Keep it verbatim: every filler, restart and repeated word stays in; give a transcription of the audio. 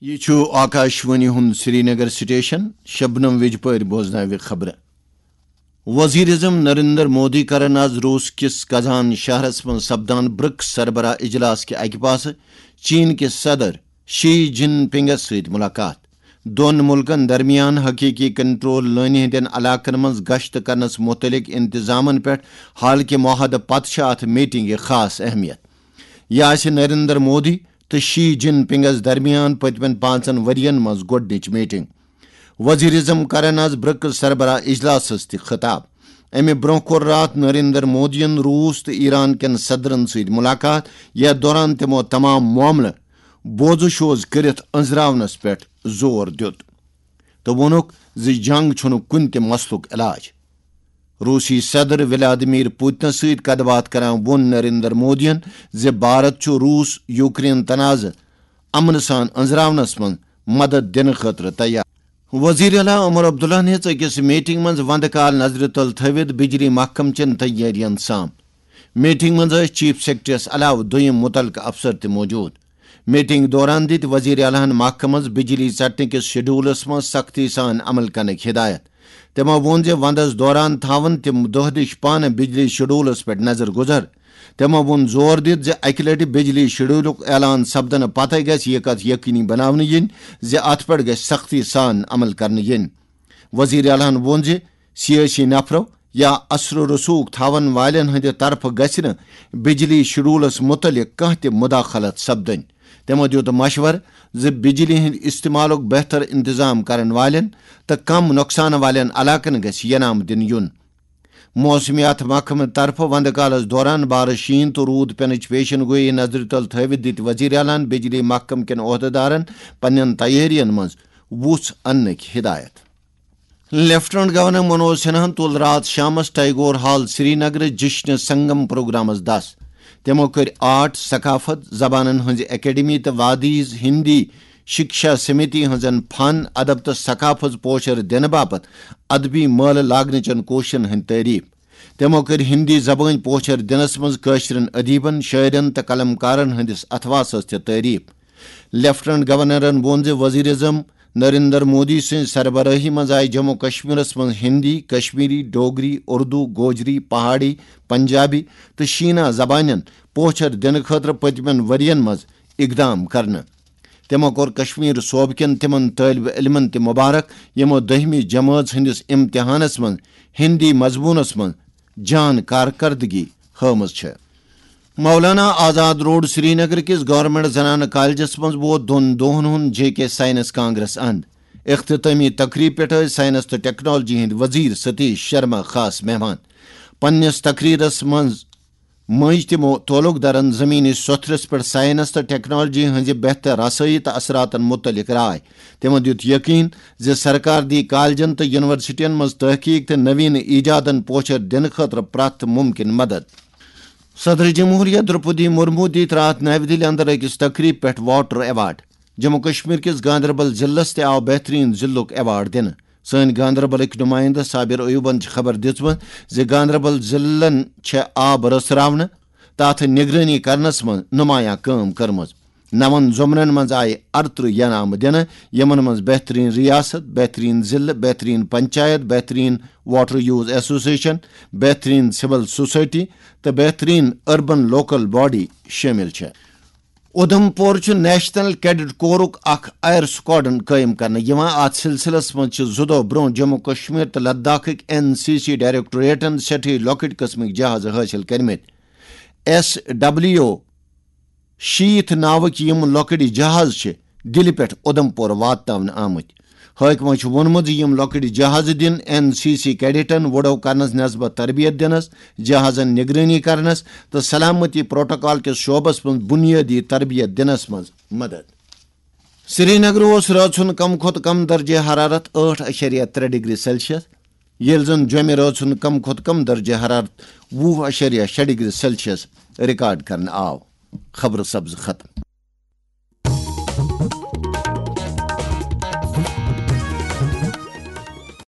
یہِ چھُ آکاشوانی ہُنٛد سرینگر سٹیشن۔ شبنم وجپٲرۍ بوزناوِ خبرٕ۔ وزیر اعظم نریندر مودی کرن آز روس کِس کزان شہرس منٛز سپدان برکس سربراہ اجلاس کہِ اکہِ پاسہٕ چین کِس صدر شی جن پنگس سۭتۍ ملاقات۔ دۄن مُلکن درمیان حقیقی کنٹرول لٲنہِ ہٕنٛدٮ۪ن علاقن منٛز گشت کرنس مُتعلق انتظامن پٮ۪ٹھ حالکہِ معاہدٕ پتہٕ چھِ اتھ میٹنگہِ خاص اہمیت۔ یہِ آسہِ نریندر مودی تہٕ شی جن پنگس درمیان پٔتمٮ۪ن پانٛژن ؤرین منٛز گۄڈٕنِچ میٹنگ۔ وزیر اعظم کرن آز برکس سربراہ اجلاسس تہِ خطاب۔ امہِ برونٛہہ کوٚر راتھ نریندر مودیَن روس تہٕ ایران کٮ۪ن صدرن سۭتۍ ملاقات، یتھ دوران تِمو تمام معاملہٕ بوزٕ شوز کٔرِتھ أنزراونس پٮ۪ٹھ زور دیُت تہٕ ووٚنُکھ زِ جنگ چھُنہٕ کُنہِ تہِ مسلُک علاج۔ روسی صدر ولادیمیر پوتنس سۭتۍ کتھ باتھ کران ووٚن نریندر مودیَن زِ بھارت چھُ روس یوکرین تنازٕ امنہٕ سان أنزراونس منٛز مدد دِنہٕ خٲطرٕ تیار۔ وزیر اعلیٰ عمر عبداللہ ہَن ہیٚژ أکِس میٹنگ منٛز وندٕ کال نظرِ تل تھٲوِتھ بجلی محکمہٕ چٮ۪ن تیٲرین سام۔ میٹنگ منٛز ٲسۍ چیف سیکرٹریس علاوٕ دوٚیِم مُتعلقہٕ افسر تہِ موجود۔ میٹنگ دوران دِتۍ وزیر اعلیٰ ہَن محکمس بجلی ژٹنہٕ کِس شیڈولس منٛز سختی سان عمل کرنٕکۍ ہدایت۔ تِمو ووٚن زِ وندس دوران تھاون تِم دۄہ دِش پانہٕ بجلی شیڈولس پٮ۪ٹھ نظر گزر۔ تِمو ووٚن زور دِتھ زِ اکہِ لٹہِ بجلی شیڈولُک اعلان سپدنہٕ پتہٕ گژھِ یہِ کتھ یقینی بناونہٕ یِنۍ زِ اتھ پٮ۪ٹھ گژھِ سختی سان عمل کرنہٕ یِنۍ۔ وزیر اعلیٰ ہَن ووٚن زِ سیٲسی نفرو یا اثر و رسوخ تھاون والٮ۪ن ہٕنٛدِ طرفہٕ گژھِ نہٕ بجلی شیڈولس مُتعلق کانٛہہ تہِ مداخلت سپدٕنۍ۔ تِمو دیُت مشورٕ زِ بجلی ہٕنٛدِ استعمالُک بہتر انتظام کرن والٮ۪ن تہٕ کم نۄقصان والٮ۪ن علاقن گژھِ ینام دِنہٕ یُن۔ موسمیات محکمہٕ طرفہٕ وندٕ کالس دوران بارش، شیٖن تہٕ روٗد پینٕچ پیشن گویی نظرِ تل تھٲوِتھ دِتۍ وزیر اعلیٰ ہَن بجلی محکمہٕ کٮ۪ن عہدٕدارن پننٮ۪ن تیٲرین منٛز وُژھ اننٕکۍ ہدایت۔ لیفٹیننٹ گورنر منوج سنہاہن تُل راتھ شامس ٹیگور ہال سرینگرٕ جشن سنگم پروگرامس دس۔ تِمو کٔرۍ آرٹ، ثقافت، زبانن ہٕنٛزِ اکیڈمی تہٕ وادی ہندی شکشا سمیتی ہٕنٛزن فن، ادب تہٕ ثقافت پوچھر دِنہٕ باپتھ ادبی مٲلہٕ لاگنٕچن کوٗششن ہٕنٛدۍ تعریف۔ تِمو کٔرۍ ہندی زبٲنۍ پوچھر دِنس منٛز کٲشرٮ۪ن ادیبن، شٲعرن تہٕ قلمکارن ہٕنٛدِس اتھواسس تہِ تعریف۔ لیفٹیننٹ گورنرن ووٚن زِ وزیر اعظم نریندر مودی سٕنٛزِ سربرٲہی منٛز آیہِ جموں کشمیرس منٛز ہندی، کشمیری، ڈوگری، اردو، گوجری، پہاڑی، پنجابی تہٕ شینا زبانن پوچھر دِنہٕ خٲطرٕ پٔتمٮ۪ن ؤرین منٛز اقدام کرنہٕ۔ تِمو کوٚر کشمیر صوبہٕ کٮ۪ن تِمن طٲلبہِ علمن تہِ مبارک، یِمو دٔہمہِ جمٲژ ہٕنٛدِس امتحانس منٛز ہندی مضموٗنس منٛز جان کارکردگی ہٲومٕژ چھےٚ۔ مولانا آزاد روڈ سرینگر کِس گورنمنٹ زنانہٕ کالجس منٛز ووت دۄن دۄہن ہُنٛد جے کے ساینس کانگریس اند۔ اختتٲمی تقریب پٮ۪ٹھ ٲسۍ ساینس تہٕ ٹیکنالوجی ہٕنٛدۍ وزیر ستیش شرما خاص مہمان۔ پننِس تقریرس منٛز مٔنٛزۍ تِمو تعلق دارن زمینی سوٚتھرس پٮ۪ٹھ ساینس تہٕ ٹیکنالوجی ہٕنٛزِ بہتر رسٲیی تہٕ اثراتن مُتعلق راے۔ تِمو دیُت یقین زِ سرکار دی کالجن تہٕ یونیورسٹین منٛز تحقیق تہٕ نوین ایجادن پوچھر دِنہٕ خٲطرٕ پرٛٮ۪تھ ممکن مدد۔ صدر جمہوریہ درپدی مرمو دِتۍ راتھ نَوِ دِلہِ اندر أکِس تقریب پٮ۪ٹھ واٹر ایوارڈ۔ جموں کشمیر کِس گاندربل ضلعس تہِ آو بہترین ضلعُک ایوارڈ دِنہٕ۔ سٲنۍ گاندربلٕکۍ نمائندٕ صابر ایوبن چھِ خبر دِژمٕژ زِ گاندربل ضلعن چھےٚ آب رژھراونہٕ تہٕ اتھ نگرٲنی کرنس منٛز نمایاں کٲم کٔرمٕژ۔ نون زمرن منٛز آیہِ ارترٕہ ینامہٕ دِنہٕ، یِمن منٛز بہترین ریاست، بہترین ضلعہٕ، بہترین پنچایت، بہترین واٹر یوز ایسوسیشن، بہترین سول سوسائٹی تہٕ بہترین اربن لوکل باڈی شٲمِل چھےٚ۔ اُدھمپور چھُ نیشنل کیڈٹ کورُک اکھ ایئر سکواڈن قٲیِم کرنہٕ یِوان۔ اتھ سلسلس منٛز چھِ زٕ دۄہ برونٛہہ جموں کشمیر تہٕ لداخٕکۍ این سی سی ڈائریکٹوریٹن سٮ۪ٹھٕے لۄکٕٹۍ قٕسمٕکۍ جہازٕ حٲصِل کٔرمٕتۍ۔ ایس ڈبلیو شیٖتھ ناوٕکۍ یِم لۄکٕٹۍ جہاز چھِ دِلہِ پٮ۪ٹھ اُدھمپور واتناونہٕ آمٕتۍ۔ حٲکمو چھُ ووٚنمُت زِ یِم لۄکٕٹۍ جہازٕ دِن این سی سی کیڈٹن وُڈو کرنس نسبت تربیت دِنس، جہازن نگرٲنی کرنس تہٕ سلامتی پروٹوکال کِس شعبس منٛز بنیٲدی تربیت دِنس منٛز مدد۔ سرینگر اوس رٲژ ہُنٛد کم کھۄتہٕ کم درجہ حرارت ٲٹھ اَشیریہ ترٛےٚ ڈگری سیلسیس، ییٚلہِ زن جوٚمہِ رٲژ ہُنٛد کم کھۄتہٕ کم درجہ حرارت وُہ اَشیریہ شےٚ ڈگری سیلسیس ریکارڈ کرنہٕ آو۔ خبرٕ سبزٕ ختم۔